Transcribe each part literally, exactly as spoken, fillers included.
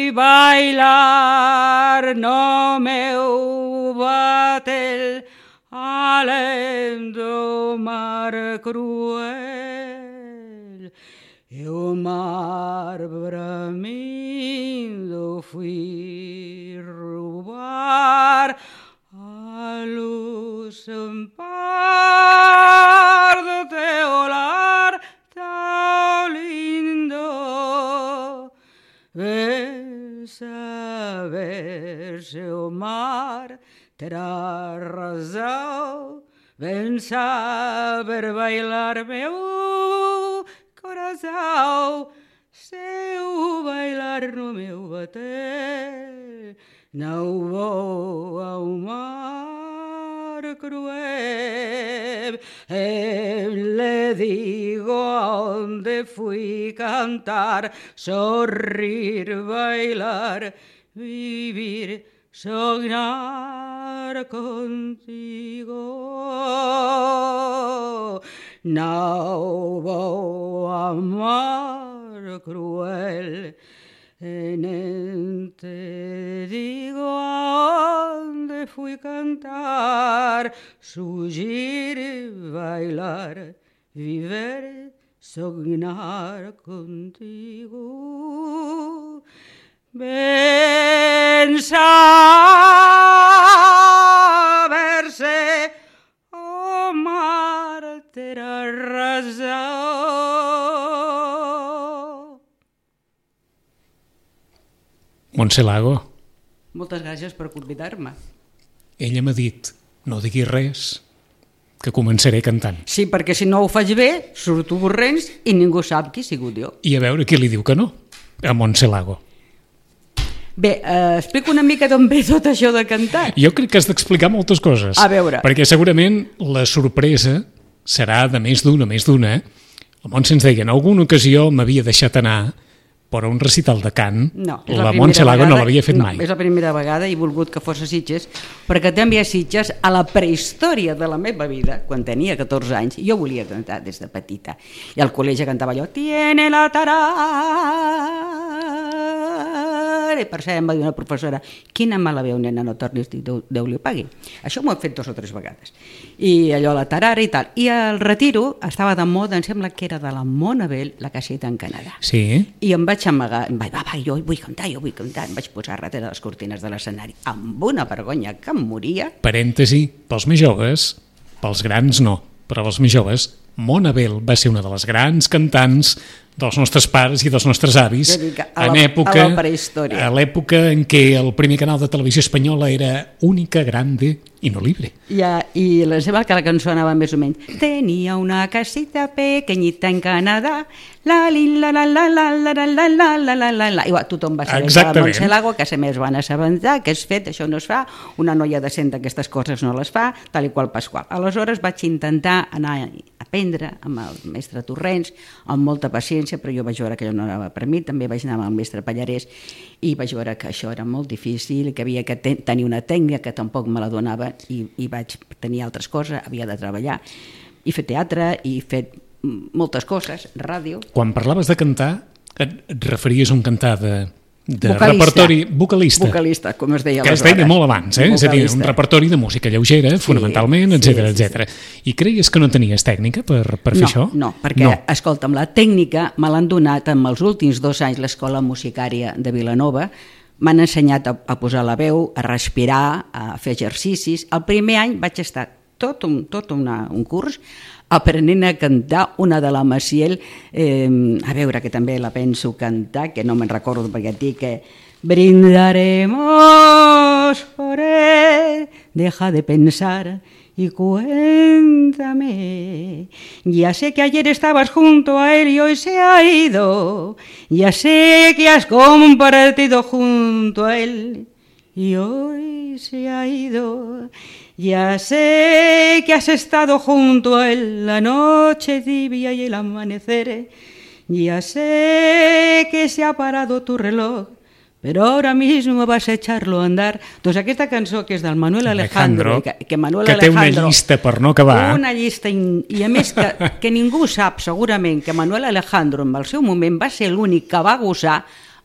vi bailar, no meu batel, alendo mar cruel. E o mar bramindo fui roubar a luz en par do teu lar tão lindo. Vem saber se o mar terá razão, vem saber bailar meu coração, se eu bailar no meu bater, não vou ao mar cruel. Eu le digo onde fui cantar, sorrir, bailar, vivir, soñar contigo. Não vou ao mar cruel, nem te digo aonde fui cantar, surgir, bailar, viver, soñar contigo. Ben saberse o mar terá razão. Montse Lago. Moltes gràcies per convidar-me. Ella m'ha dit, no diguis res, que començaré cantant. Sí, perquè si no ho faig bé, surto borrents i ningú sap qui he sigut jo. I a veure qui li diu que no, a Montse Lago. Bé, eh, explico una mica d'on ve tot això de cantar. Jo crec que has d'explicar moltes coses. A veure. Perquè segurament la sorpresa serà de més d'una, més d'una. La Montse ens deia, en alguna ocasió m'havia deixat anar per un recital de cant. No, la Montse Lago no l'havia fet no, mai. És la primera vegada i he volgut que fos a Sitges, perquè també a Sitges, a la prehistòria de la meva vida, quan tenia catorze anys, jo volia cantar des de petita. I al col·legi cantava allò, tiene la tarara. I per cert em va dir una professora, quina mala veu, nena, no tornis, Déu, Déu li pagui. Això m'ho he fet dos o tres vegades. I allò, la tarara i tal. I al retiro estava de moda, em sembla que era de la Mona Bell, la caseta en Canadà. Sí. I em vaig amagar, em vaig, va, va, jo vull cantar, jo vull cantar, em vaig posar darrere les cortines de l'escenari, amb una vergonya que em moria. Parèntesi, pels més joves, pels grans no, però els més joves, Mona Bell va ser una de les grans cantants dels nostres pares i dels nostres avis a la, època, a la prehistòria. A l'època en què el primer canal de televisió espanyola era Única, Grande i No Libre. I, i la seva que la cançó anava més o menys. Tenia una casita pequeñita en Canadà, la la la la la la la la la la la la la. Igual, tothom va saber que la Montse Lago, que a més van assabentar, que és fet, això no es fa, una noia decent aquestes coses no les fa, tal i qual Pasqual. Aleshores vaig intentar anar a aprendre amb el mestre Torrents, amb molta paciència, però jo vaig veure que allò no anava per mi, també vaig anar amb el mestre Pallarès i vaig veure que això era molt difícil, que havia que ten- tenir una tècnica que tampoc me la donava i, i vaig tenir altres coses, havia de treballar i fer teatre i fer moltes coses, ràdio. Quan parlaves de cantar, et, et referies a un cantar de, de vocalista. repertori vocalista, vocalista, com es deia que es deia molt abans, eh? És a dir, un repertori de música lleugera, sí, fonamentalment, etcètera, sí, etcètera. Sí, sí. I creies que no tenies tècnica per, per fer no, això? No, perquè, no. escolta'm, la tècnica me l'han donat en els últims dos anys l'Escola Musicària de Vilanova. M'han ensenyat a, a posar la veu, a respirar, a fer exercicis. El primer any vaig estar tot un, tot una, un curs aprenent a cantar una de la Maciel, eh, a veure, que també la penso cantar, que no me'n recordo perquè et dic que brindaremos por él, deja de pensar y cuéntame. Ya sé que ayer estabas junto a él y hoy se ha ido. Ya sé que has compartido junto a él y hoy se ha ido. Ya sé que has estado junto a él la noche tibia y el amanecer. Ya sé que se ha parado tu reloj, però ara mismo vas a echarlo a andar. Doncs aquesta cançó, que és del Manuel Alejandro, Alejandro que, que Manuel que Alejandro... té una llista per no acabar. Una llista, in, i a més que, que ningú sap segurament que Manuel Alejandro en el seu moment va ser l'únic que va gosar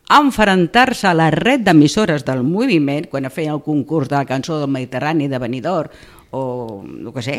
enfrontar-se a la red d'emissores del moviment, quan feia el concurs de la cançó del Mediterrani de Benidorm, o el que sé,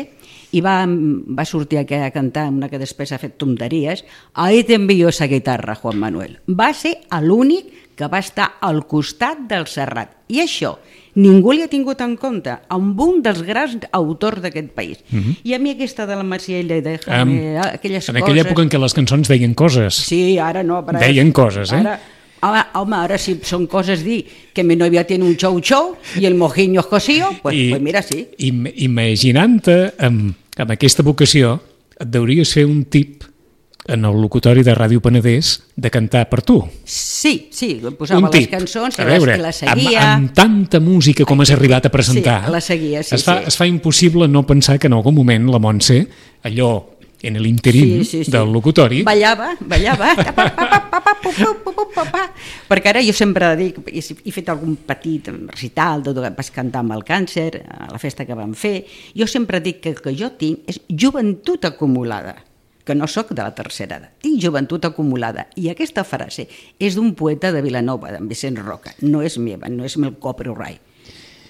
i va, va sortir aquí a cantar una que després ha fet tonteries. Ahí te envío esa guitarra, Juan Manuel. Va ser l'únic que va estar al costat del Serrat. I això ningú li ha tingut en compte, amb un dels grans autors d'aquest país. Uh -huh. I a mi aquesta de la Maciella i de Jaime, um, aquelles en coses... En aquella època en què les cançons deien coses. Sí, ara no. Però deien coses, eh? Ara, home, home, ara si són coses dir que mi novia tiene un xou xou i el mojiño es cosío, pues, I, pues mira, sí. I, imaginant-te amb, amb aquesta vocació, et deuries fer un tip en el locutori de Ràdio Penedès de cantar per tu. Sí, sí, posava les cançons, que veure, les seguia... Amb, amb tanta música com has arribat a presentar, sí, la seguia, sí, es, fa, sí. es fa impossible no pensar que en algun moment la Montse, allò en l'interim sí, sí, sí. del locutori... Ballava, ballava, perquè ara jo sempre dic, he fet algun petit recital, tot que vas cantar amb el càncer, a la festa que vam fer, jo sempre dic que el que jo tinc és joventut acumulada, que no sóc de la tercera edat, tinc joventut acumulada. I aquesta frase és d'un poeta de Vilanova, d'en Vicent Roca, no és meva, no és meu copyright.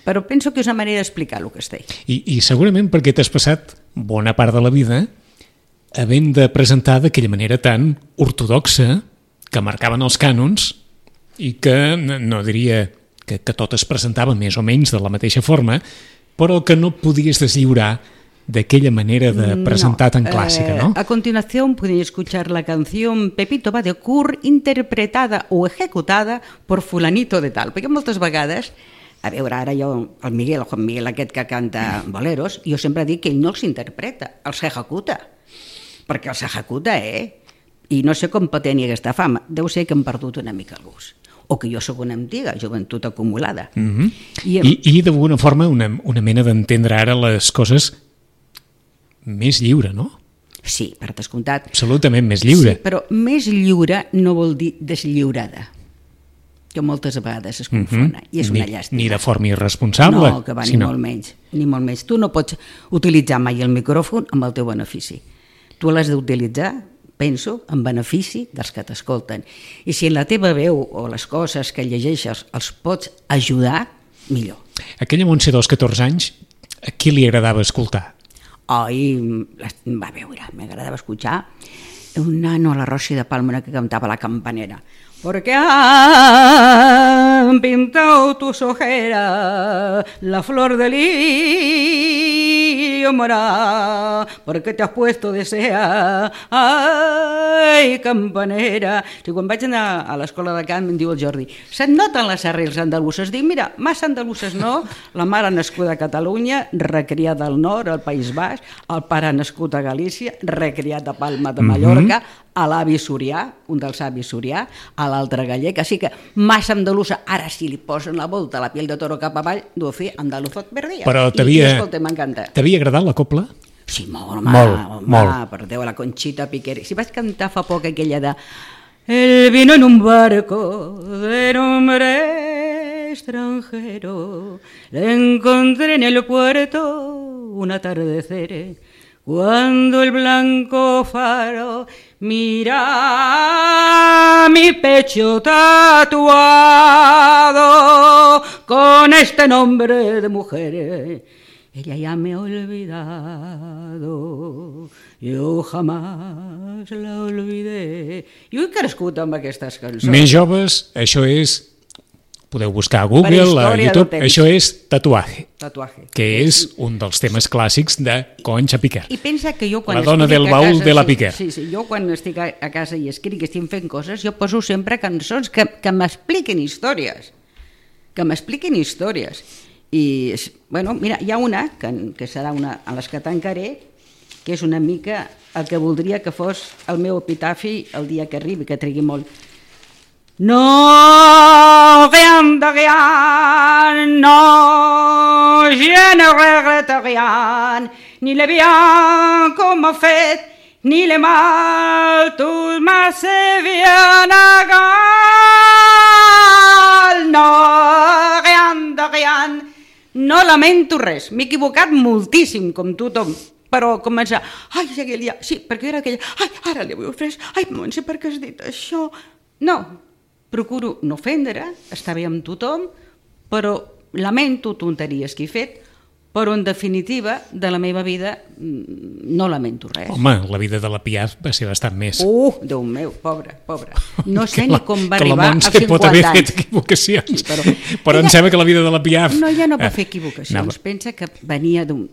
Però penso que és una manera d'explicar el que estic. I, I segurament perquè t'has passat bona part de la vida havent de presentar d'aquella manera tan ortodoxa que marcaven els cànons i que no diria que, que tot es presentava més o menys de la mateixa forma, però que no podies deslliurar d'aquella manera de presentar no, tan clàssica, ¿no? Eh, a continuación pueden escuchar la canción Pepito va de cur interpretada o ejecutada por fulanito de tal, perquè moltes vegades, a veure, ara jo, el Miguel, el Juan Miguel aquest que canta boleros, jo sempre dic que ell no els interpreta, els ejecuta, perquè els ejecuta, eh? I no sé com pot tenir aquesta fama, deu ser que hem perdut una mica el gust, o que jo sóc una antiga, joventut acumulada. Mm-hmm. I, I, i d'alguna forma una, una mena d'entendre ara les coses més lliure, no? Sí, per descomptat. Absolutament més lliure. Sí, però més lliure no vol dir deslliurada, que moltes vegades es confona, mm-hmm. i és una ni, llàstima. Ni de forma irresponsable. No, que va, ni, no. molt menys, ni molt menys. Tu no pots utilitzar mai el micròfon amb el teu benefici. Tu l'has d'utilitzar, penso, en benefici dels que t'escolten. I si en la teva veu o les coses que llegeixes els pots ajudar, millor. Aquella Montse dels catorze anys, a qui li agradava escoltar? Ai, va veure, m'agradava escuchar un nano a la Rossi de Palma que cantava la campanera. Porque han pintado tus ojeras la flor del lirio morado, porque te has puesto desea, ai, campanera. Si quan vaig anar a l'escola de cant em diu el Jordi, se't noten les arrels andaluses? Dic, mira, massa andaluses no, la mare nascuda a Catalunya, recriada al nord, al País Basc, el pare nascut a Galícia, recriat a Palma de Mallorca, mm-hmm. a l'avi sorià, un dels avis sorià, a l'altre gallec, així que massa andalusa. Ara si li posen la volta a la piel de toro cap avall, deu fer andaluzot per dia. Però t'havia, I, escolta, m'encanta. T'havia agradat la copla? Sí, molt, home, molt, home, molt. Per Déu, la Conxita Piquer. Si vaig cantar fa poc aquella de El vino en un barco de nombre extranjero, le encontré en el puerto un atardecer, cuando el blanco faro mira mi pecho tatuado con este nombre de mujer. Ella ya me ha olvidado, jo jamás la olvidé. Jo he crescut amb aquestes cançons. Més joves, això és... Podeu buscar a Google, a YouTube, això és Tatuaje, Tatuaje, que és un dels temes clàssics de Concha Piquer. I pensa que jo quan la dona del baúl de la Piquer. Sí, sí, jo quan estic a casa i escric i estic fent coses, jo poso sempre cançons que, que m'expliquen històries, que m'expliquen històries. I, bueno, mira, hi ha una, que, que serà una a les que tancaré, que és una mica el que voldria que fos el meu epitafi el dia que arribi, que trigui molt. No, rien de rien, no, je ne regrette rien, ni le bien qu'on m'a fait, ni le mal, tout m'a bien égal. No, rien de rien, no lamento res, m'he equivocat moltíssim, com tothom, però començar, ai, aquell dia, sí, perquè era aquella, ai, ara li vull res, ai, Montse, per què has dit això? No, procuro no ofendre, estar bé amb tothom, però lamento tonteries que he fet, però en definitiva de la meva vida no lamento res. Home, la vida de la Piaf va ser bastant més. Uh, Déu meu, pobra, pobra. No sé ni com va que arribar als cinquanta anys. pot haver fet equivocacions, sí, però, però ella, em sembla que la vida de la Piaf... No, ja no va fer equivocacions. No. Pensa que venia d'un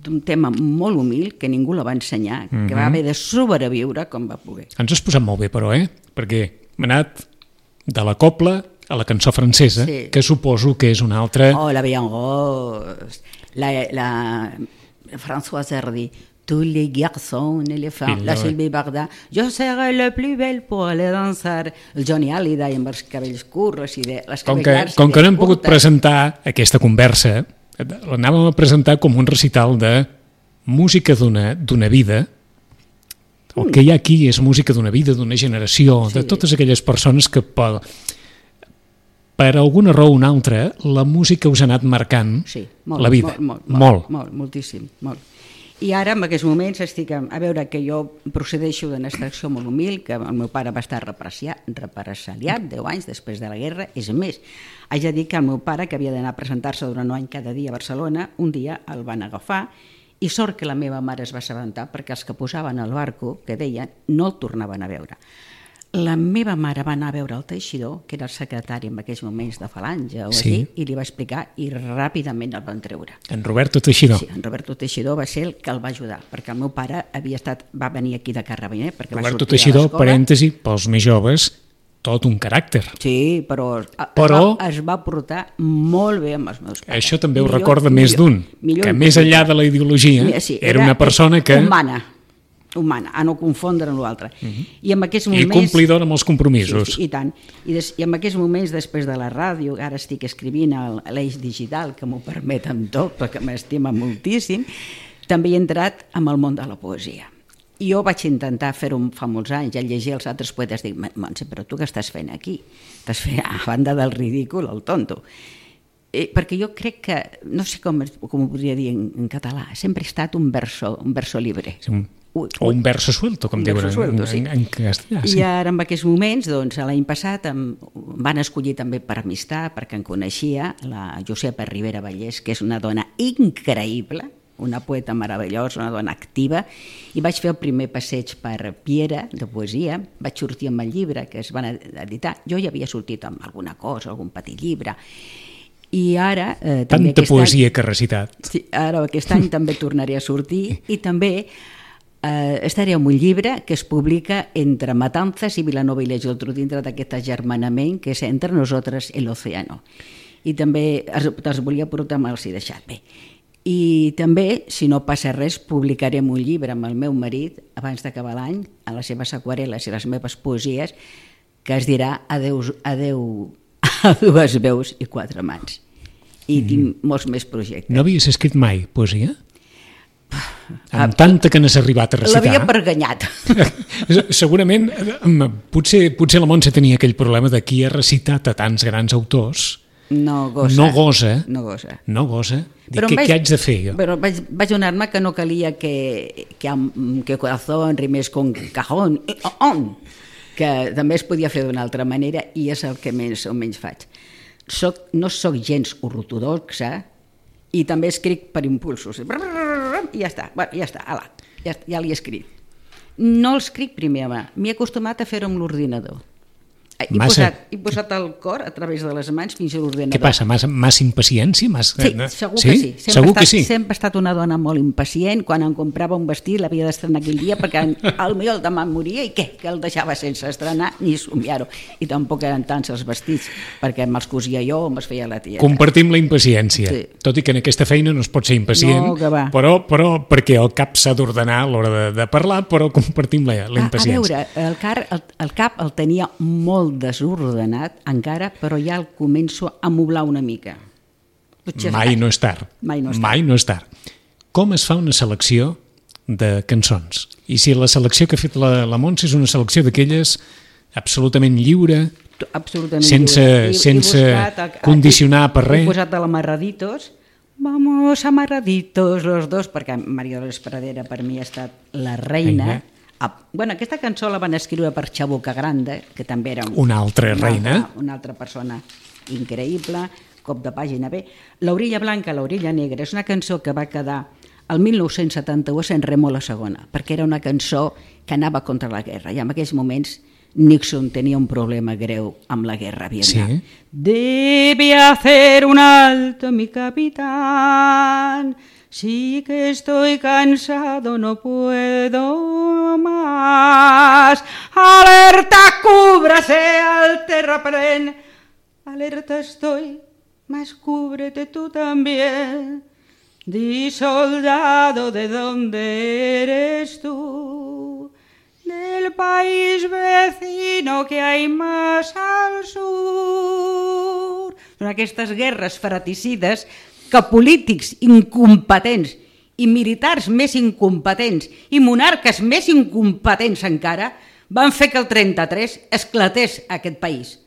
d'un tema molt humil, que ningú la va ensenyar, mm-hmm. que va haver de sobreviure com va poder. Ens has posat molt bé, però, eh? Perquè m'ha anat de la copla a la cançó francesa, sí. que suposo que és una altra... Oh, la Bien Rose, la, la Françoise Hardy, tous les garçons et les femmes, la Sylvie Varda, jo seré la plus belle pour aller dansar, el Johnny Hallyday amb els cabells curts i de les com que, com que no hem pogut presentar aquesta conversa, l'anàvem a presentar com un recital de música d'una d'una vida. El que hi ha aquí és música d'una vida, d'una generació, sí. de totes aquelles persones que per, per alguna raó o una altra la música us ha anat marcant sí, molt, la vida. Molt, molt, molt. molt, moltíssim, molt. I ara, en aquests moments, estic a, a veure que jo procedeixo d'una extracció molt humil, que el meu pare va estar represaliat deu anys després de la guerra. És més, haig de dir que el meu pare, que havia d'anar a presentar-se durant un any cada dia a Barcelona, un dia el van agafar i sort que la meva mare es va assabentar perquè els que posaven al barco, que deien, no el tornaven a veure. La meva mare va anar a veure el Teixidor, que era el secretari en aquells moments de Falange, o sí. així, i li va explicar i ràpidament el van treure. En Roberto Teixidor. Sí, en Roberto Teixidor va ser el que el va ajudar, perquè el meu pare havia estat, va venir aquí de Carrabiner, perquè Roberto va sortir Teixidor, de l'escola. parèntesi, pels més joves, tot un caràcter. Sí, però, però es, va, es va portar molt bé amb els meus pares. Això també ho millor, recorda millor, més d'un, que més enllà de la ideologia, sí, era, era una persona que... humana. humana, a no confondre amb l'altre. Uh-huh. I en aquests moments... I complidor amb els compromisos. Sí, sí, i tant. I, des, I en aquests moments, després de la ràdio, ara estic escrivint a l'Eix Digital, que m'ho permet amb tot, perquè m'estima moltíssim, també he entrat en el món de la poesia. I jo vaig intentar fer-ho fa molts anys, ja llegir els altres poetes, dic, Montse, però tu què estàs fent aquí? Estàs fent, a banda del ridícul, el tonto. Eh, perquè jo crec que, no sé com, com ho podria dir en, en català, sempre he estat un verso, un verso libre. Sí, un... o un verso suelto, com diuen en, sí. en, en castellà. Sí. I ara en aquests moments, doncs, l'any passat em van escollir també per amistat, perquè em coneixia la Josepa Ribera Vallès, que és una dona increïble, una poeta meravellosa, una dona activa, i vaig fer el primer passeig per Piera, de poesia, vaig sortir amb el llibre que es van editar, jo ja havia sortit amb alguna cosa, algun petit llibre, i ara... Eh, també Tanta poesia any, que ha recitat. Sí, ara aquest any també tornaré a sortir, i també... Uh, estaré amb un llibre que es publica entre Matanzas i Vilanova i la Geltrú, dintre d'aquest agermanament que és Entre nosaltres i l'oceano. I també els, els volia portar, me'ls he deixat bé. I també, si no passa res, publicarem un llibre amb el meu marit abans d'acabar l'any, a les seves aquarel·les i les meves poesies, que es dirà Adeu, adeu a dues veus i quatre mans. I mm. tinc molts més projectes. No havies escrit mai poesia? Amb tanta que n'has arribat a recitar... L'havia perganyat. Segurament, potser, potser la Montse tenia aquell problema de qui ha recitat a tants grans autors. No gosa. No gosa. No gosa. No gosa. Dic, què, vaig, què haig de fer jo? Però vaig, vaig donar-me que no calia que, que, que corazón rimés con cajón, on, que també es podia fer d'una altra manera i és el que més o menys faig. Soc, no soc gens ortodoxa i també escric per impulsos. I ja està, bueno, ja està, ala, ja, ja l'he escrit. No l'escric primer a mà, m'he acostumat a fer-ho amb l'ordinador. He posat, he posat el cor a través de les mans fins a l'ordinador. Què passa, massa, massa impaciència? Massa... Sí, segur sí? que sí. Sempre, segur estat, que sí. Sempre he estat una dona molt impacient. Quan em comprava un vestit l'havia d'estrenar aquell dia perquè el meu demà moria i què? Que el deixava sense estrenar ni somiar-ho. I tampoc eren tants els vestits perquè me'ls cosia jo o me'ls feia la tia. Compartim la impaciència. Sí. Tot i que en aquesta feina no es pot ser impacient, no, però, però perquè el cap s'ha d'ordenar a l'hora de, de parlar, però compartim la, la impaciència. A, a veure, el, car, el, el cap el tenia molt desordenat encara, però ja el començo a moblar una mica. Potser Mai no és tard. Mai no és tard. Mai no és tard. Com es fa una selecció de cançons? I si la selecció que ha fet la, la Montse és una selecció d'aquelles absolutament lliure, absolutament sense, lliure. I, sense he buscat, condicionar per res. He posat a l'Amarraditos, vamos amarraditos los dos, perquè María Dolores Pradera per mi ha estat la reina, Ah, bueno, aquesta cançó la van escriure per Chabuca Grande, que també era un, una altra una reina. Altra, una altra persona increïble, cop de pàgina bé. L'Orilla Blanca, l'Orilla Negra és una cançó que va quedar el mil nou-cents setanta-u a San Remo la segona, perquè era una cançó que anava contra la guerra, i en aquells moments Nixon tenia un problema greu amb la guerra a Vietnam. Sí. Debe hacer un alto, mi capitán, sí que estoy cansado, no puedo más. Alerta, cúbrase al terraplén. Alerta estoy, mas cúbrete tú también. Di, soldado, ¿de dónde eres tú? Del país vecino que hay más al sur. Són aquestes guerres fratricides que polítics incompetents i militars més incompetents i monarques més incompetents encara van fer que el trenta-tres esclatés aquest país.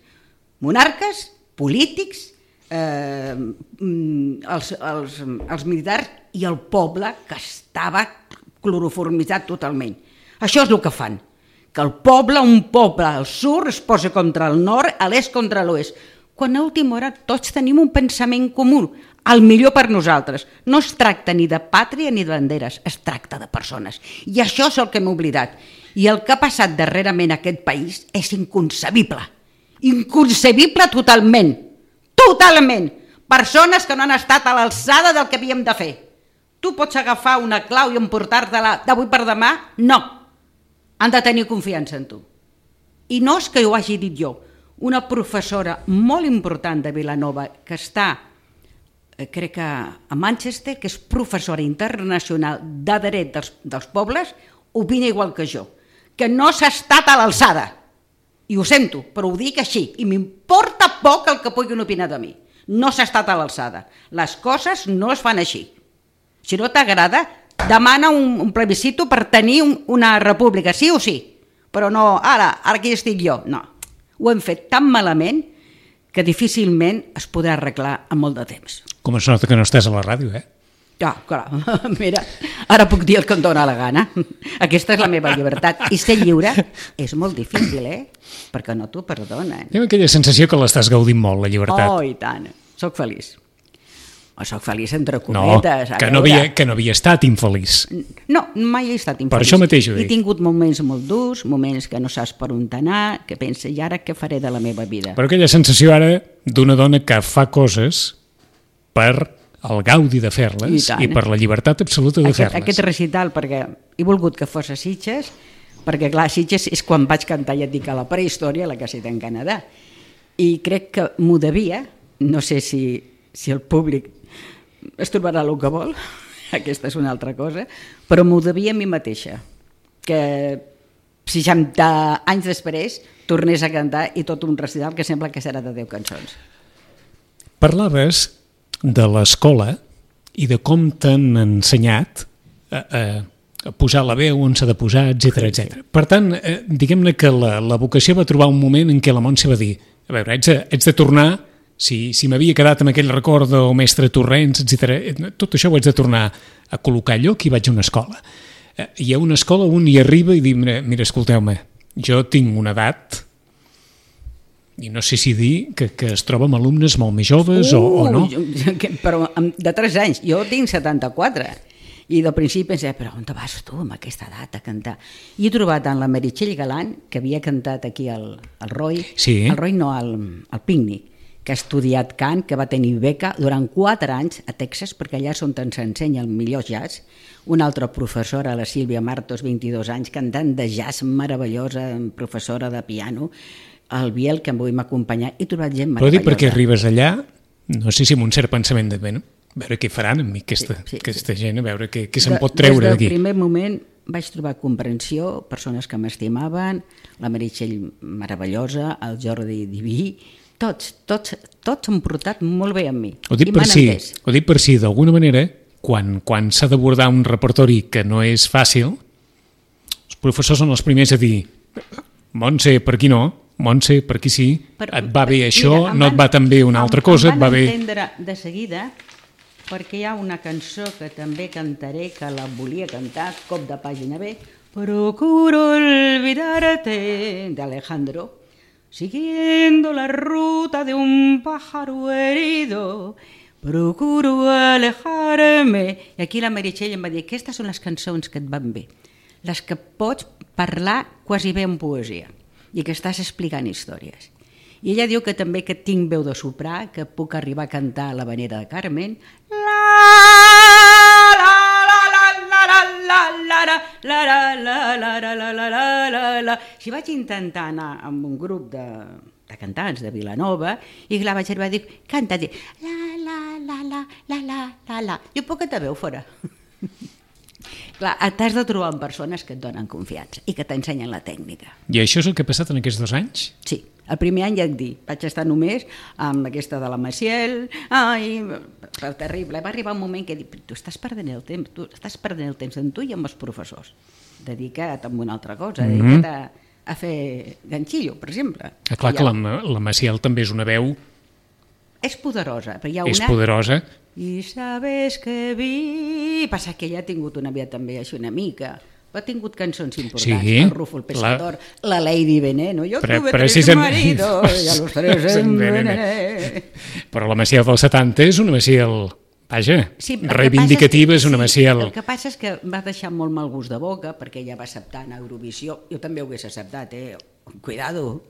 Monarques, polítics, eh, els, els, els militars i el poble que estava cloroformitzat totalment. Això és el que fan, que el poble, un poble al sud es posa contra el nord, a l'est contra l'oest, quan a última hora tots tenim un pensament comú, el millor per nosaltres. No es tracta ni de pàtria ni de banderes, es tracta de persones. I això és el que hem oblidat. I el que ha passat darrerament a aquest país és inconcebible. Inconcebible totalment. Totalment. Persones que no han estat a l'alçada del que havíem de fer. Tu pots agafar una clau i emportar-te-la d'avui per demà? No. Han de tenir confiança en tu. I no és que ho hagi dit jo. Una professora molt important de Vilanova que està, crec que a Manchester, que és professora internacional de dret dels, dels pobles, opina igual que jo, que no s'ha estat a l'alçada. I ho sento, però ho dic així, i m'importa poc el que puguin opinar de mi. No s'ha estat a l'alçada. Les coses no es fan així. Si no t'agrada, demana un, un plebiscito per tenir un, una república, sí o sí, però no, ara, ara aquí estic jo, no. Ho hem fet tan malament que difícilment es podrà arreglar en molt de temps. Com es nota que no estàs a la ràdio, eh? Ja, clar, mira, ara puc dir el que em dóna la gana. Aquesta és la meva llibertat. I ser lliure és molt difícil, eh? Perquè no t'ho perdonen. Tinc aquella sensació que l'estàs gaudint molt, la llibertat. Oh, i tant. Soc feliç. O soc feliç entre cometes. No, que no, havia, que no havia estat infeliç. No, mai he estat infeliç. Per això mateix ho dic. He tingut moments molt durs, moments que no saps per on anar, que pensa, i ara què faré de la meva vida? Però aquella sensació ara d'una dona que fa coses per el gaudi de fer-les i, i per la llibertat absoluta de fer-les. Aquest recital, perquè he volgut que fos a Sitges, perquè clar, Sitges és quan vaig cantar, ja et dic, a la prehistòria, la caseta en Canadà. I crec que m'ho devia, no sé si, si el públic es trobarà el que vol, aquesta és una altra cosa, però m'ho devia a mi mateixa, que seixanta anys després tornés a cantar i tot un recital que sembla que serà de deu cançons. Parlaves de l'escola i de com t'han ensenyat a, a, a posar la veu on s'ha de posar, etcètera, etcètera. Per tant, eh, diguem-ne que la, la vocació va trobar un moment en què la Montse va dir, a veure, ets de, ets de tornar. Si, si m'havia quedat amb aquell record del mestre Torrents, etcètera, tot això ho haig de tornar a col·locar allò que hi vaig a una escola. Eh, hi ha una escola on hi arriba i diu, mira, mira escolteu-me, jo tinc una edat, i no sé si dir que, que es troba amb alumnes molt més joves uh, o, o no. Però de tres anys, jo tinc setanta-quatre, i del principi pensé, però on te vas tu amb aquesta edat a cantar? I he trobat en la Meritxell Galant, que havia cantat aquí al, al Roy, sí. al Roy no, al, al Pícnic, que ha estudiat cant, que va tenir beca durant quatre anys a Texas, perquè allà és on s'ensenya el millor jazz. Una altra professora, la Sílvia Martos, vint-i-dos anys, cantant de jazz meravellosa, professora de piano, el Biel, que em vull m'acompanyar, he trobat gent meravellosa. Però dic, perquè arribes allà, no sé si amb un cert pensament de, bueno, a veure què faran amb mi, aquesta, sí, sí, aquesta sí. gent, a veure què, què se'n de, pot treure d'aquí. Des del primer moment vaig trobar comprensió, persones que m'estimaven, la Meritxell meravellosa, el Jordi diví, tots, tots, tots han portat molt bé amb mi. Ho dic per si, ho dic per si, d'alguna manera, quan, quan s'ha d'abordar un repertori que no és fàcil, els professors són els primers a dir, Montse, per aquí no, Montse, per aquí sí, per, et va bé això, mira, no et va tan bé una altra cosa, et va bé... Em van entendre de seguida, perquè hi ha una cançó que també cantaré, que la volia cantar, cop de pàgina bé, procuro olvidarte, de Alejandro, siguiendo la ruta de un pájaro herido, procuro alejarme. I aquí la Meritxell em va dir, aquestes són les cançons que et van bé, les que pots parlar quasi bé en poesia i que estàs explicant històries. I ella diu que també que tinc veu de soprà, que puc arribar a cantar a la manera de Carmen. La, la, la, la, la, la, la, la, la, la, la, la, la, la, la, la, la. Si vaig intentar anar amb un grup de, de cantants de Vilanova i la vaig arribar a dir, canta, dir, la, la, la, la, la, la, la, la. Jo puc que te veu fora. Clar, t'has de trobar amb persones que et donen confiança i que t'ensenyen la tècnica. I això és el que ha passat en aquests dos anys? Sí. El primer any ja et dic, vaig estar només amb aquesta de la Maciel, ai, terrible. Va arribar un moment que dic, tu estàs perdent el temps, tu estàs perdent el temps en tu i amb els professors. Dedica't a una altra cosa, mm -hmm. dedica't a, a fer ganxillo, per exemple. Ah, clar que la, la Maciel també és una veu... És poderosa, però hi ha una... És poderosa. I sabes que vi... Passa que ella ha tingut una vida també així una mica... Ha tingut cançons importants, sí, el Rufo el Pescador, la, la Lady Veneno, jo Pre tuve tres maridos i a los tres envenené. Però la Maciel dels setanta és una Maciel, vaja, sí, reivindicativa, és, que, és una Maciel... Sí, el que passa és que va deixar molt mal gust de boca, perquè ella va acceptar en Eurovisió, jo també ho hagués acceptat, eh? Cuidado,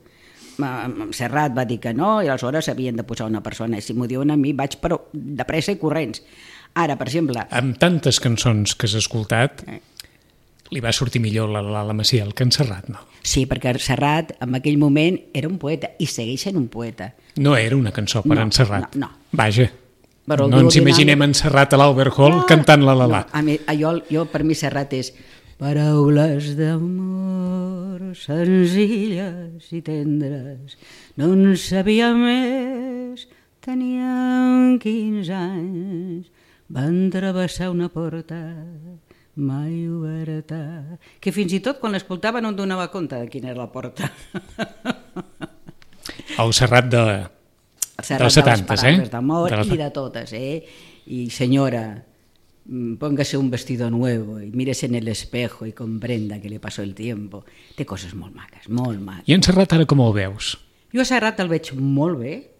Serrat va dir que no, i aleshores havien de posar una persona, i si m'ho diuen a mi vaig però de pressa i corrents. Ara, per exemple... Amb tantes cançons que has escoltat... Eh. Li va sortir millor la, la, la Maciel que en Serrat, no? Sí, perquè Serrat en aquell moment era un poeta i segueix sent un poeta. No era una cançó per no, en Serrat. No, no. Vaja, no ens imaginem en Serrat a l'Albert Hall no, cantant la la la. No, a mi, jo, jo, per mi Serrat és paraules d'amor senzilles i tendres, no en sabia més, teníem quinze anys, van travessar una porta mai oberta, que fins i tot quan l'escoltava no em donava compte de quina era la porta. El Serrat de, el Serrat dels setanta, de les eh? d'amor de la... i de totes, eh? I senyora, póngase un vestido nuevo y mírese en el espejo y comprenda que le pasó el tiempo. Té coses molt maques, molt maques. I en Serrat ara com el veus? Jo a Serrat el veig molt bé,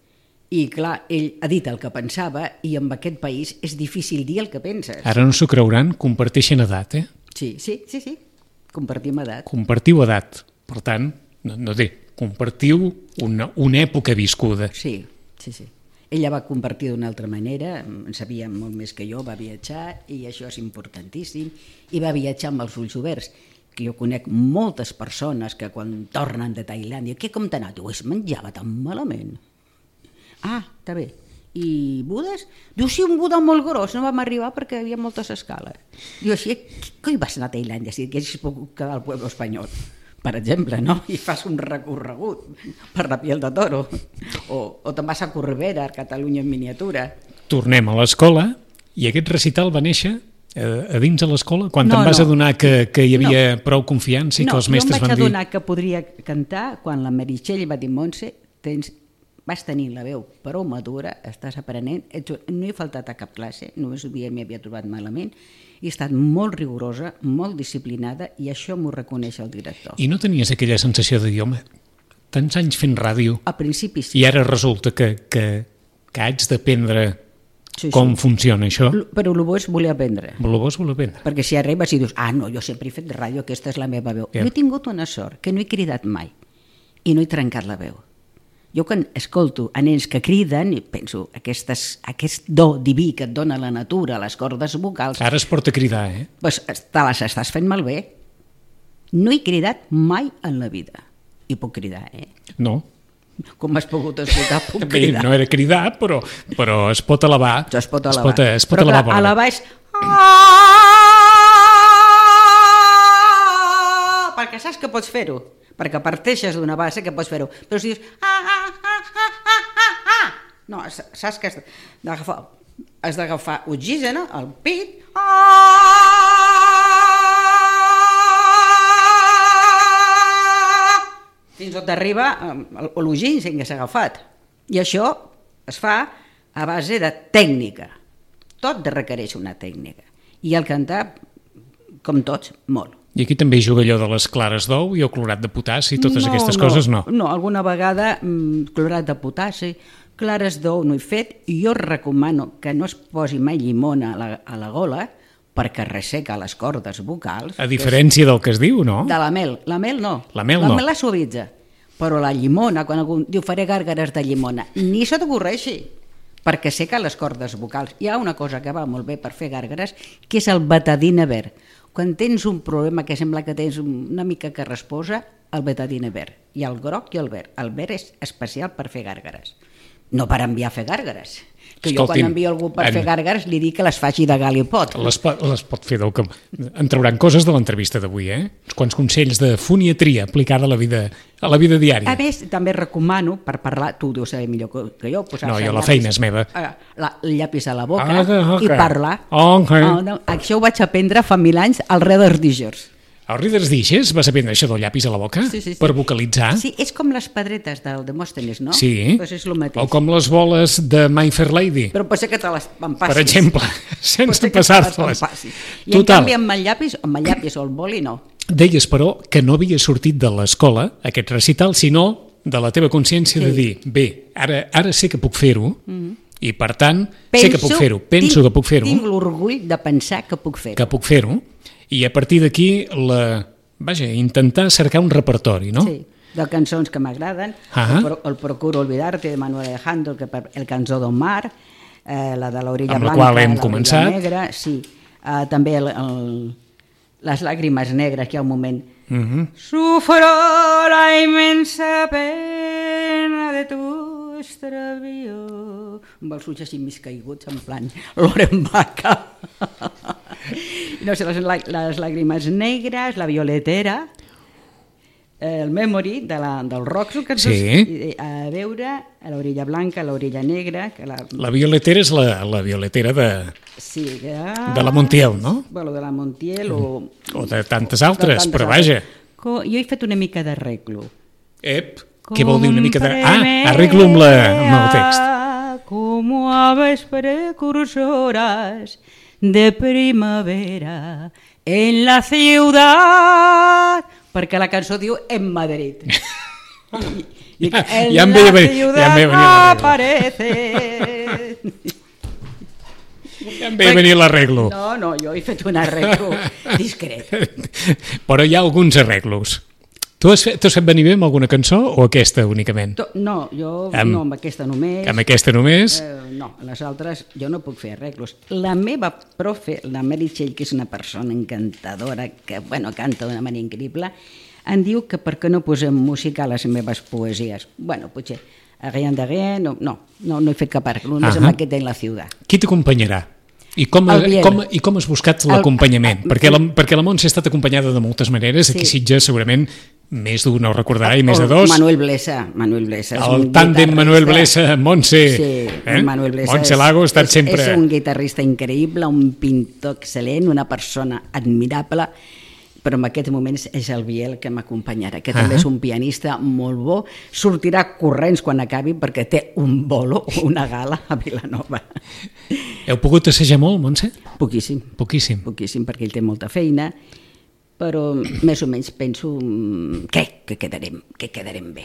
i clar, ell ha dit el que pensava i en aquest país és difícil dir el que penses. Ara no s'ho creuran, comparteixen edat, eh? Sí, sí, sí, sí, compartim edat. Compartiu edat, per tant, no, no té, compartiu una, una època viscuda. Sí, sí, sí. Ella va compartir d'una altra manera, en sabia molt més que jo, va viatjar i això és importantíssim, i va viatjar amb els ulls oberts. Que jo conec moltes persones que quan tornen de Tailàndia, què com t'ha anat? Diu, es menjava tan malament. Ah, està bé. I Budes? Diu, sí, un Buda molt gros, no vam arribar perquè hi havia moltes escales. Diu, així, què hi vas anar a Tailàndia si haguessis pogut quedar al pueblo espanyol? Per exemple, no? I fas un recorregut per la piel de toro. O, o te'n vas a Corbera, a Catalunya en miniatura. Tornem a l'escola i aquest recital va néixer a dins de l'escola? Quan no, te'n vas no. adonar que, que hi havia no. prou confiança i no, que els mestres van dir... No, jo em vaig adonar que podria cantar quan la Meritxell va dir, Montse, tens... vas tenir la veu prou madura, estàs aprenent, no he faltat a cap classe, només un dia m'hi havia trobat malament, i he estat molt rigorosa, molt disciplinada, i això m'ho reconeix el director. I no tenies aquella sensació de dir, home, tants anys fent ràdio, al principi sí. I ara resulta que, que, que haig d'aprendre sí, com sí. funciona això? Però el bo és voler aprendre. El bo és voler aprendre. Perquè si arribes i dius, ah, no, jo sempre he fet ràdio, aquesta és la meva veu. Yeah. Jo he tingut una sort, que no he cridat mai, i no he trencat la veu. Jo quan escolto a nens que criden i penso, aquestes, aquest do diví que et dona la natura, les cordes vocals... Ara es porta a cridar, eh? Doncs te les estàs fent malbé. No he cridat mai en la vida. I puc cridar, eh? No. Com m'has pogut escoltar, puc cridar. No era cridar, però, però es pot elevar. Això es pot elevar. Es pot, es pot però elevar clar, elevar és... Perquè saps que pots fer-ho. Perquè parteixes d'una base que pots fer-ho. Però si dius... Ah, ah, ah, ah, ah, ah. No, saps que has d'agafar, has d'agafar oxigen al pit. Ah! Fins on t'arriba l'oxigen que s'ha agafat. I això es fa a base de tècnica. Tot requereix una tècnica. I el cantar, com tots, molt. I aquí també hi juga allò de les clares d'ou i el clorat de potassi i totes no, aquestes no, coses, no? No, alguna vegada mmm, clorat de potassi, clares d'ou no he fet, i jo recomano que no es posi mai llimona a la, a la gola perquè resseca les cordes vocals. A diferència és... del que es diu, no? De la mel. La mel no. La mel la no. mel la suavitza. Però la llimona, quan algú diu faré gàrgares de llimona, ni se t'ocorreixi, perquè seca les cordes vocals. Hi ha una cosa que va molt bé per fer gàrgares, que és el betadine verd. Quan tens un problema que sembla que tens una mica que resposa, el betadine verd. Hi ha el groc i el verd. El verd és especial per fer gàrgares. No per enviar a fer gàrgares. Que jo quan envio algú per en... fer gàrgares li dic que les faci de gal i pot. Les, pot, les pot fer del que... En trauran coses de l'entrevista d'avui, eh? Uns quants consells de foniatria aplicada a la vida, a la vida diària. A més, també recomano, per parlar, tu ho deus saber millor que jo... No, jo la feina és meva. La, el llapis a la boca ah, okay. i parlar. Okay. Oh, no, això ho vaig aprendre fa mil anys al Reader's Digest. Al Reader's Digest vas aprendre això del llapis a la boca? Sí, sí, sí. Per vocalitzar? Sí, és com les pedretes del Demòstenes, no? Sí, pues és lo mateix. O com les boles de My Fair Lady. Però pot ser que te les empassis. Per exemple, sense passar-te-les. I en canvi amb el llapis, amb el llapis o el boli no. Deies, però, que no havia sortit de l'escola, aquest recital, sinó de la teva consciència sí. de dir, bé, ara, ara sé que puc fer-ho, mm-hmm. i per tant, penso, sé que puc fer-ho, penso tinc, que puc fer-ho. Tinc l'orgull de pensar que puc fer-ho. Que puc fer-ho, i a partir d'aquí, la... vaja, intentar cercar un repertori, no? Sí, de cançons que m'agraden. Ah el, el Procuro Olvidarte, de Manuel Alejandro, el, el Cançó d'un mar, eh, la de l'Orilla Blanca, amb la qual hem la començat. Negra, sí. Eh, també el, el, les Làgrimes Negres, que hi ha un moment. Uh-huh. Sufro la immensa pena de tu extravío. Amb els ulls així més caiguts, en plan Loren Baca. No sé, les, les Làgrimes Negres, la Violetera, el Memory de la, del Roxo, que sí. a veure, a l'Orilla Blanca, a l'Orilla Negra... Que la... la Violetera és la, la Violetera de, sí, que... de la Montiel, no? Bueno, de la Montiel o... O de tantes altres, de tantes però vaja. Co... Jo he fet una mica d'arreglo. Ep, què vol dir una mica de... Ah, arreglo amb, la, amb el text. Como aves precursoras de primavera en la ciudad, perquè la cançó diu en Madrid. I, ja, en ja em la veia, ciudad ja em no aparece. Ja em veia venir l'arreglo. No, no, jo he fet un arreglo discret. Però hi ha alguns arreglos. Tu has fet, fet venir bé amb alguna cançó o aquesta únicament? No, jo amb, no, amb aquesta només. Amb aquesta només? Eh, no, les altres jo no puc fer arreglos. La meva profe, la Meritxell, que és una persona encantadora, que bueno, canta d'una manera increïble, em diu que per què no posem música a les meves poesies. Bueno, potser rien de rien, no, no, no, no he fet cap arreglo, només uh -huh. amb aquest en la ciutat. Qui t'acompanyarà? I com, com, I com has buscat l'acompanyament? Perquè, la, perquè la Montse ha estat acompanyada de moltes maneres, aquí sí. Sitges segurament més d'un no recordarà i més de dos. Manuel Blesa, Manuel Blesa. El tàndem Manuel Blesa, Montse. Sí, eh? Manuel Blesa Montse Lago ha estat és, sempre... És un guitarrista increïble, un pintor excel·lent, una persona admirable, però en aquest moment és el Biel que m'acompanyarà, que també uh -huh. és un pianista molt bo, sortirà corrents quan acabi perquè té un bolo o una gala a Vilanova. Heu pogut assajar molt, Montse? Poquíssim. Poquíssim. Poquíssim, perquè ell té molta feina, però més o menys penso que, que, quedarem, que quedarem bé.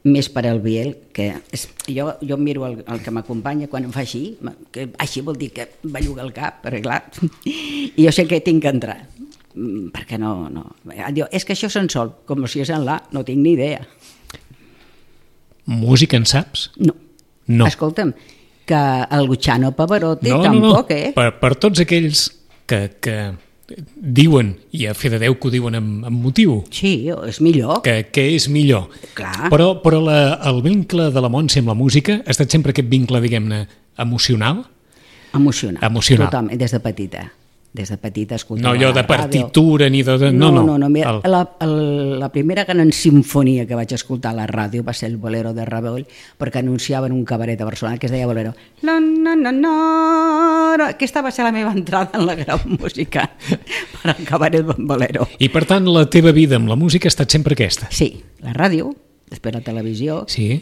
Més per al Biel, que és, jo, jo miro el, el que m'acompanya quan em fa així, que així vol dir que belluga el cap, perquè clar, i jo sé que tinc que entrar. Perquè no, no. Diu, és que això se'n sol, com si és en la, no tinc ni idea. Música en saps? No. No. Escolta'm, que el Luciano Pavarotti no, tampoc, no, no. eh? Per, per tots aquells que, que diuen, i a fe de Déu que ho diuen amb, amb motiu. Sí, és millor. Que, que és millor. Clar. Però, però la, el vincle de la Montse amb la música ha estat sempre aquest vincle, diguem-ne, emocional? Emocional. Emocional. Totalment, des de petita. Des de petita escoltava no allò de partitura ni de... No, no, no, no. Mira, el... la, el, la primera gran sinfonia que vaig escoltar a la ràdio va ser el Bolero de Ravel, perquè anunciaven un cabaret a Barcelona que es deia Bolero. La, na, na, na. Aquesta va ser la meva entrada en la gran música per al cabaret Bolero. I per tant la teva vida amb la música ha estat sempre aquesta? Sí, la ràdio, després la televisió, sí.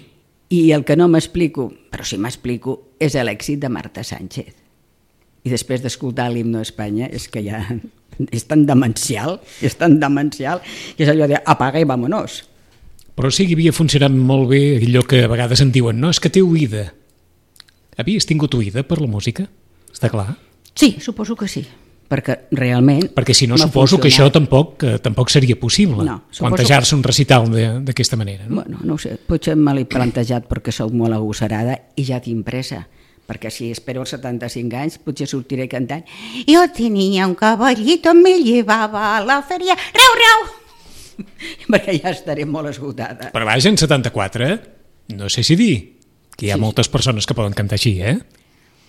I el que no m'explico, però sí m'explico, és l'èxit de Marta Sánchez. I després d'escoltar l'himno a Espanya és que ja és tan demencial, és tan demencial, que és allò de apaga i vámonos. Però sí que havia funcionat molt bé allò que a vegades en diuen, no, és que té oïda. Havies tingut oïda per la música? Està clar? Sí, suposo que sí, perquè realment... Perquè si no, suposo funcionat. que això tampoc, que tampoc seria possible, no, plantejar-se un recital d'aquesta manera. No? Bueno, no ho sé, potser me l'he plantejat perquè sóc molt agosarada i ja tinc pressa, perquè si espero els setanta-cinc anys potser sortiré cantant «Yo tenía un caballito, me llevaba a la feria, rau, rau!» perquè ja estaré molt esgotada. Però vaja, en setanta-quatre, no sé si dir, que hi ha sí, moltes persones que poden cantar així, eh?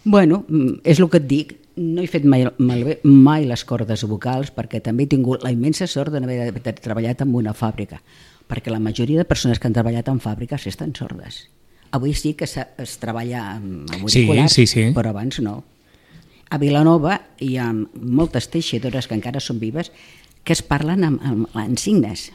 Bueno, és el que et dic, no he fet mai, malbé, mai les cordes vocals perquè també he tingut la immensa sort d'haver treballat en una fàbrica, perquè la majoria de persones que han treballat en fàbriques estan sordes. Avui sí que es treballa amb auriculars, sí, sí, sí. Però abans no. A Vilanova hi ha moltes teixidores que encara són vives que es parlen amb, amb, amb signes.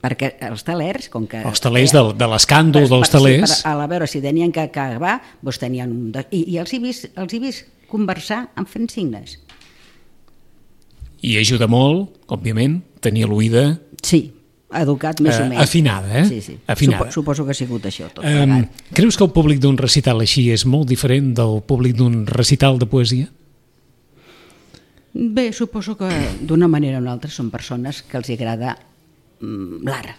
Perquè els talers, com que... Els talers de, de l'escàndol dels talers... Sí, per, a veure, si tenien que acabar, doncs tenien un... De, i, I els he vist, els he vist conversar en fent signes. I ajuda molt, òbviament, tenir l'oïda... Sí, educat més uh, o menys. Afinada, eh? Sí, sí. Afinada. Supo, suposo que ha sigut això tot. Um, creus que el públic d'un recital així és molt diferent del públic d'un recital de poesia? Bé, suposo que d'una manera o una altra són persones que els agrada l'art,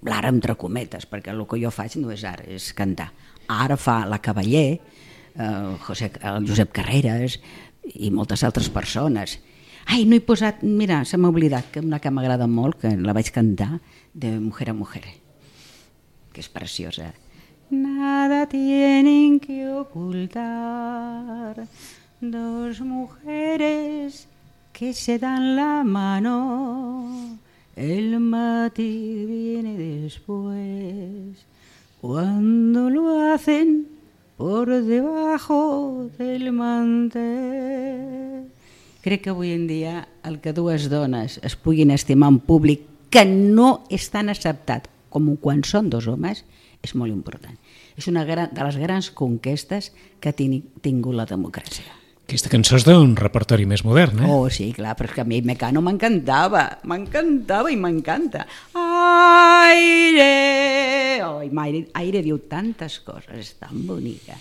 l'art entre cometes, perquè el que jo faig no és art, és cantar. Ara fa la Cavaller, el, José, el Josep Carreras i moltes altres persones. Ai, no he posat, mira, se m'ha oblidat, que una que m'agrada molt, que la vaig cantar, de Mujer a Mujer, que és preciosa. Nada tienen que ocultar dos mujeres que se dan la mano. El matiz viene después, cuando lo hacen por debajo del mantel. Crec que avui en dia el que dues dones es puguin estimar en públic que no és tan acceptat com quan són dos homes és molt important. És una de les grans conquestes que ha tingut la democràcia. Aquesta cançó és d'un repertori més modern, eh? Oh, sí, clar, però és que a mi Mecano m'encantava, m'encantava i m'encanta. Aire! Oh, Aire, Aire diu tantes coses, és tan bonica.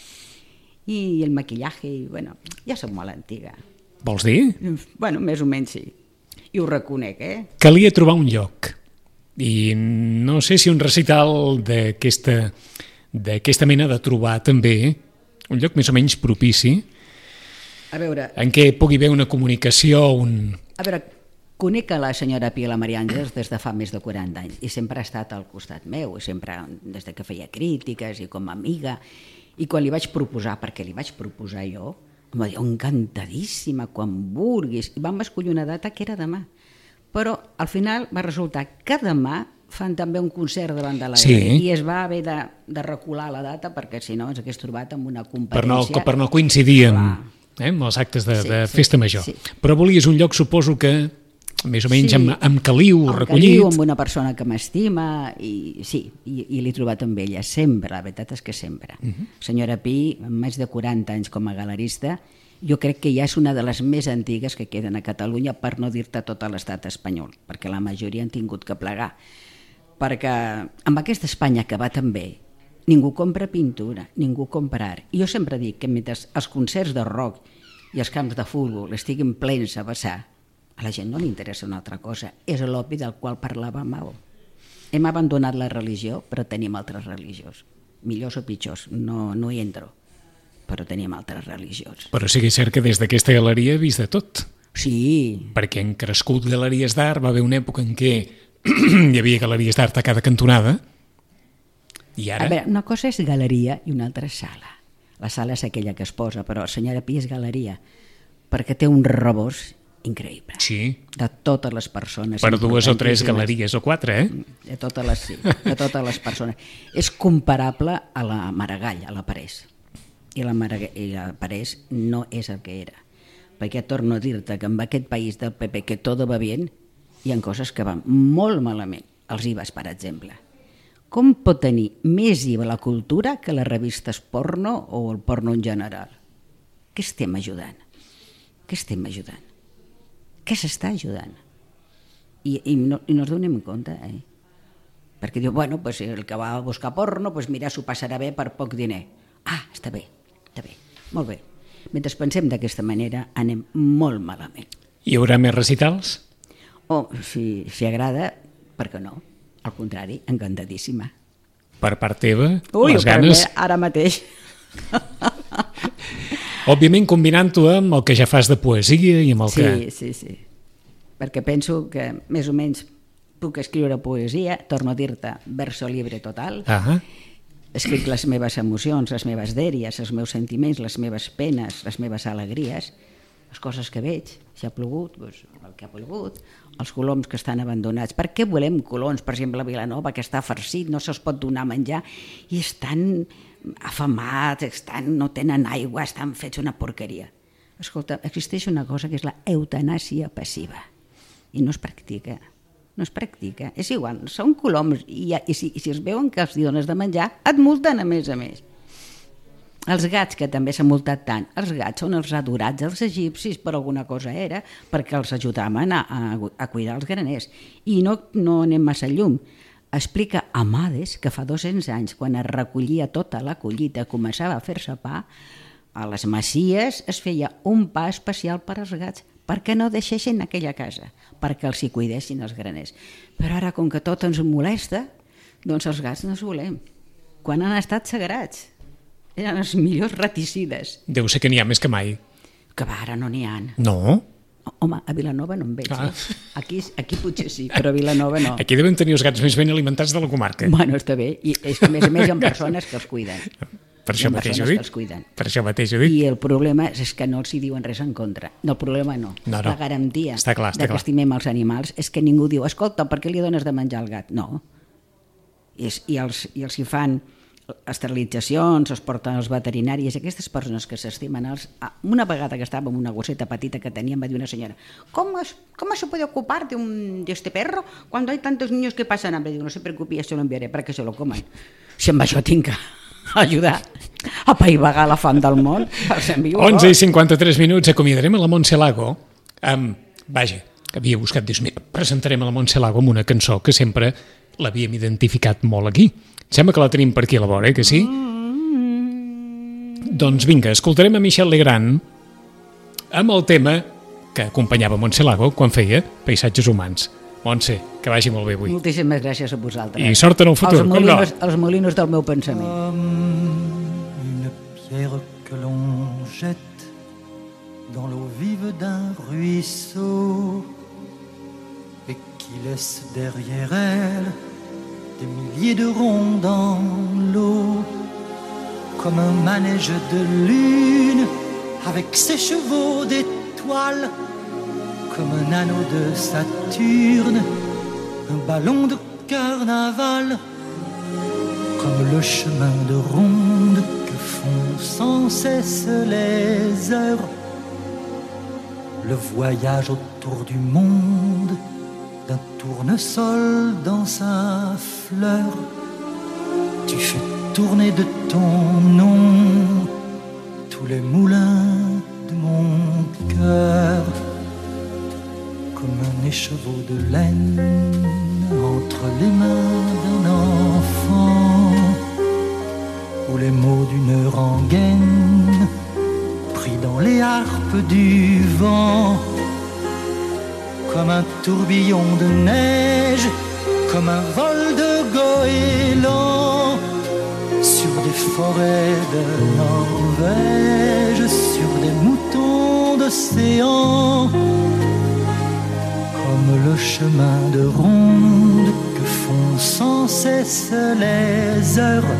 I el maquillaje, i, bueno, ja soc molt antiga. Vols dir? Bueno, més o menys sí. I ho reconec, eh? Calia trobar un lloc. I no sé si un recital d'aquesta d'aquesta mena de trobar també un lloc més o menys propici a veure, en què pugui haver una comunicació, un... A veure, conec a la senyora Pia la Maria Àngels des de fa més de quaranta anys i sempre ha estat al costat meu, i sempre des que feia crítiques i com a amiga, i quan li vaig proposar, perquè li vaig proposar jo, em va dir, encantadíssima, quan vulguis, i vam escollir una data que era demà, però al final va resultar que demà fan també un concert davant de la sí. i es va haver de, de recular la data perquè si no ens hagués trobat amb una competència... Per no, per no coincidir amb... Eh, amb els actes de, sí, de festa major. Sí, sí. Però volies un lloc, suposo que, més o menys, sí, amb, amb caliu amb recollit. Caliu, amb una persona que m'estima, i sí, i, i l'he trobat amb ella, sempre, la veritat és que sempre. Uh-huh. Senyora Pi, amb més de quaranta anys com a galerista, jo crec que ja és una de les més antigues que queden a Catalunya, per no dir-te tot l'estat espanyol, perquè la majoria han tingut que plegar. Perquè amb aquesta Espanya que va tan bé, ningú compra pintura, ningú compra art. I jo sempre dic que mentre els concerts de rock i els camps de futbol estiguin plens a vessar, a la gent no li interessa una altra cosa. És l'opi del qual parlava Mao. Hem abandonat la religió, però tenim altres religions. Millors o pitjors, no, no hi entro, però tenim altres religions. Però sí que és cert que des d'aquesta galeria he vist de tot. Sí. Perquè han crescut galeries d'art, va haver una època en què hi havia galeries d'art a cada cantonada. I ara... A veure, una cosa és galeria i una altra és sala. La sala és aquella que es posa, però senyora Pi és galeria, perquè té un rebost increïble. Sí. De totes les persones. Per dues o tres galeries o quatre, eh? De totes les, sí, de totes les persones. És comparable a la Maragall, a la Parés. I la, Maragall, i la Parés no és el que era. Perquè torno a dir-te que en aquest país del P P que tot va bé, hi ha coses que van molt malament. Els I V As, per exemple. Com pot tenir més I V A la cultura que les revistes porno o el porno en general? Què estem ajudant? Què estem ajudant? que s'està ajudant. I, i, no, i no es donem compte, eh? Perquè diu, bueno, pues, el que va a buscar porno, pues, mira, s'ho passarà bé per poc diner. Ah, està bé, està bé, molt bé. Mentre pensem d'aquesta manera, anem molt malament. Hi haurà més recitals? Oh, si, si agrada, per què no? Al contrari, encantadíssima. Per part teva, Ui, les ganes... Ui, ara mateix. Òbviament combinant-ho amb el que ja fas de poesia i amb el sí, que... Sí, sí, sí. Perquè penso que més o menys puc escriure poesia, torno a dir-te, verso libre total. Ah. Escric les meves emocions, les meves dèries, els meus sentiments, les meves penes, les meves alegries, les coses que veig, si ha plogut, doncs, el que ha plogut, els coloms que estan abandonats. Per què volem coloms, per exemple, a Vilanova, que està farcit, no se'ls pot donar menjar, i estan afamats, estan, no tenen aigua, estan fets una porqueria. Escolta, existeix una cosa que és la eutanàsia passiva, i no es practica. No es practica. És igual, són coloms i, i, si, i si els veuen que els dones de menjar, et multen a més a més. Els gats, que també s'han multat tant, els gats són els adorats dels egipcis, per alguna cosa era, perquè els ajudaven a, a, a cuidar els graners. I no, no anem massa llum. Explica Amades que fa dos-cents anys, quan es recollia tota la collita, començava a fer-se pa, a les masies es feia un pa especial per als gats, perquè no deixessin aquella casa, perquè els hi cuidessin els graners. Però ara, com que tot ens molesta, doncs els gats no els volem. Quan han estat sagrats, eren els millors raticides. Deu ser que n'hi ha més que mai. Que va, ara no n'hi ha. No? Home, a Vilanova no en veig. Ah. Eh? Aquí, aquí potser sí, però a Vilanova no. Aquí deuen tenir els gats més ben alimentats de la comarca. Bueno, està bé, i és que a més a més hi ha persones que els cuiden. Per això mateix ho dic. Per això mateix ho dic. I el problema és que no els hi diuen res en contra. No, el problema no. no, no. La garantia està clar, està de que clar. estimem els animals és que ningú diu, escolta, per què li dones de menjar al gat? No. I, és, i, els, i els hi fan esterilitzacions, els porten als veterinaris, aquestes persones que s'estimen els... Una vegada que estava amb una gosseta petita que teníem, va dir una senyora, ¿cómo, es, cómo se puede ocupar de, un, de este perro cuando hay tantos niños que pasan hambre? Digo, no se preocupi, ya se lo enviaré para que se lo coman. Si amb això tinc que ajudar a apaivagar la fam del món, els envio onze i cinquanta-tres minuts, acomiadarem a la Montse Lago amb, vaja, havia buscat, dius, mira, presentarem a la Montse Lago amb una cançó que sempre l'havíem identificat molt aquí. Sembla que la tenim per aquí a la vora, eh, que sí? Mm. Doncs vinga, escoltarem a Michel Legrand amb el tema que acompanyava Montse Lago quan feia Paisatges humans. Montse, que vagi molt bé avui. Moltíssimes gràcies a vosaltres. I sort en el futur, els molinos, no? Els molinos del meu pensament. Comme une pierre que l'on jette dans l'eau vive d'un ruisseau et qui laisse derrière elle des milliers de ronds dans l'eau, comme un manège de lune avec ses chevaux d'étoiles, comme un anneau de Saturne, un ballon de carnaval, comme le chemin de ronde que font sans cesse les heures, le voyage autour du monde d'un tournesol dans sa fleur. Tu fais tourner de ton nom tous les moulins de mon cœur, comme un écheveau de laine entre les mains d'un enfant, ou les mots d'une rengaine pris dans les harpes du vent, comme un tourbillon de neige, comme un vol de goéland sur des forêts de Norvège, sur des moutons d'océan, comme le chemin de ronde que font sans cesse les heures,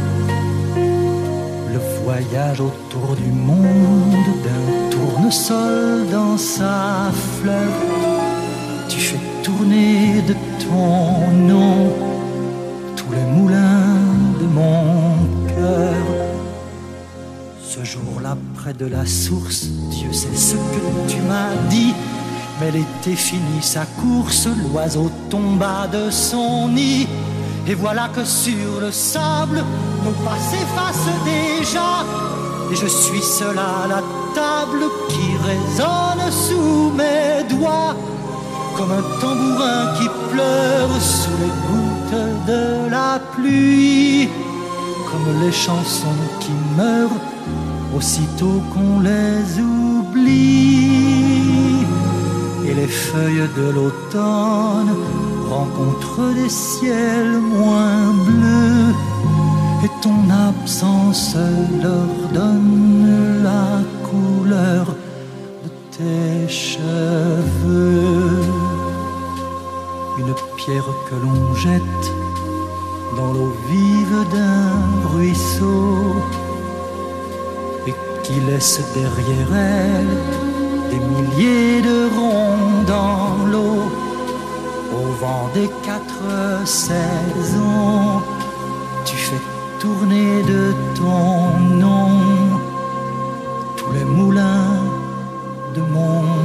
le voyage autour du monde d'un tournesol dans sa fleur. Tu fais tourner de ton nom tous les moulins de mon cœur. Ce jour-là, près de la source, Dieu sait ce que tu m'as dit, mais l'été finit sa course, l'oiseau tomba de son nid, et voilà que sur le sable, nos pas s'effacent déjà, et je suis seul à la table qui résonne sous mes doigts. comme un tambourin qui pleure sous les gouttes de la pluie, comme les chansons qui meurent aussitôt qu'on les oublie. Et les feuilles de l'automne rencontrent des ciels moins bleus, et ton absence leur donne la couleur de tes cheveux. Une pierre que l'on jette dans l'eau vive d'un ruisseau et qui laisse derrière elle des milliers de ronds dans l'eau. Au vent des quatre saisons, tu fais tourner de ton nom tous les moulins de mon